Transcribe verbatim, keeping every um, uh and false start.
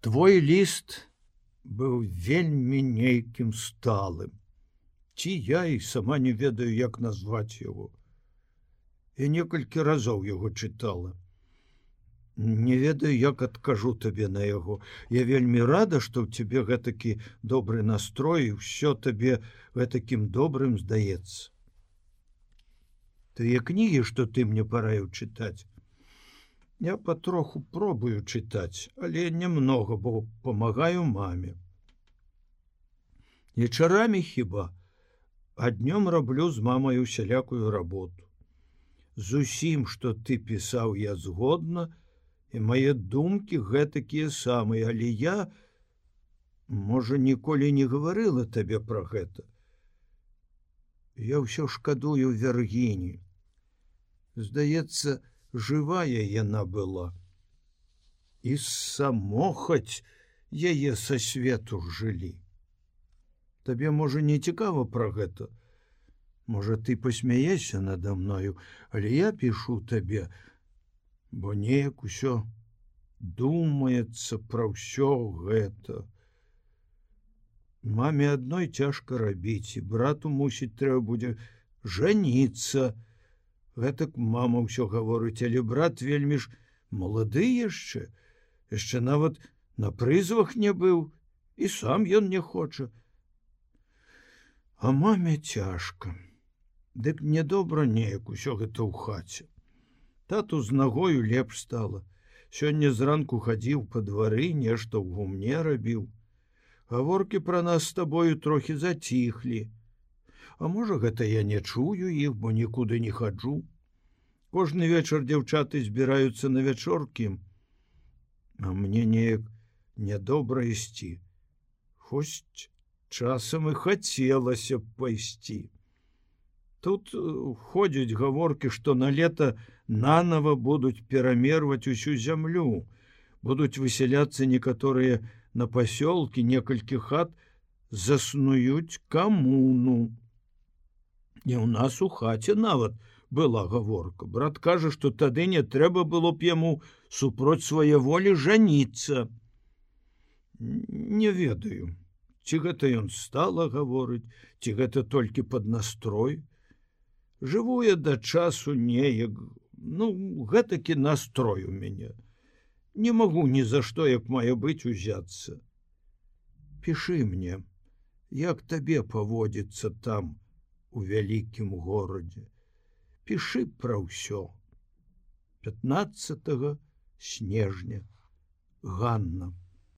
Твой ліст быў вельмі нейкім сталым. Ці я і сама не ведаю, як назваць яго. Я некалькі разоў яго чытала. Не ведаю, як адкажу табе на яго. Я вельмі рада, што ў цябе гэтакі добры настрой, і ўсё табе гэтакім добрым здаецца. Тыя кнігі, што ты мне параіў чытаць, я патроху пробую чытаць, але немного, бо памагаю маме. Вечарамі хіба, а днём раблю з мамай усялякую работу. З усім, што ты пісаў, я згодна, і мае думкі гэтакія самыя, але я, можа, ніколі не гаварыла табе пра гэта. Я ўсё шкадую Вергінію. Здаецца, жывая яна была. І самохаць яе са свету жылі. Табе, можа, не цікава пра гэта? Можа, ты посмяешся надо мною, але я пішу табе, бо неяк усё думаецца пра ўсё гэта. Маме адной цяжка рабіць, і брату, мусіць, трэба будзе жаніцца. Гэтак мама ўсё гаворыць, але брат вельмі ж малады яшчэ, яшчэ нават на прызвах не быў, і сам ён не хоча. А маме цяжка. Дык мне добра неяк усё гэта ў хаце. Тату з нагою лепш стала. Сёння зранку хадзіў па двары, нешта ў гумне рабіў. Гаворкі пра нас з табою трохі заціхлі. А можа, гэта я не чую іх, бо нікуды не хаджу. Кожны вечар дзяўчаты збіраюцца на вячоркі, а мне неяк нядобра ісці. Хоць часам і хацелася б пайсці. Тут ходзяць гаворкі, што на лета нанова будуць перамерваць усю зямлю, будуць высяляцца некаторыя на пасёлкі, некалькі хат заснуюць камуну. І ў нас у хаце нават была гаворка. Брат кажа, што тады не трэба было б яму супроць свае волі жаніцца. Не ведаю, ці гэта ён стала гаворыць, ці гэта толькі пад настрой. Жыву я да часу неяк, ну, гэтакі настрой у мяне. Не магу ні за што, як мае быць, узяцца. Пішы мне, як табе паводзіцца там, у вялікім горадзе. Пішы пра ўсё. пятнаццатага снежня. Ганна.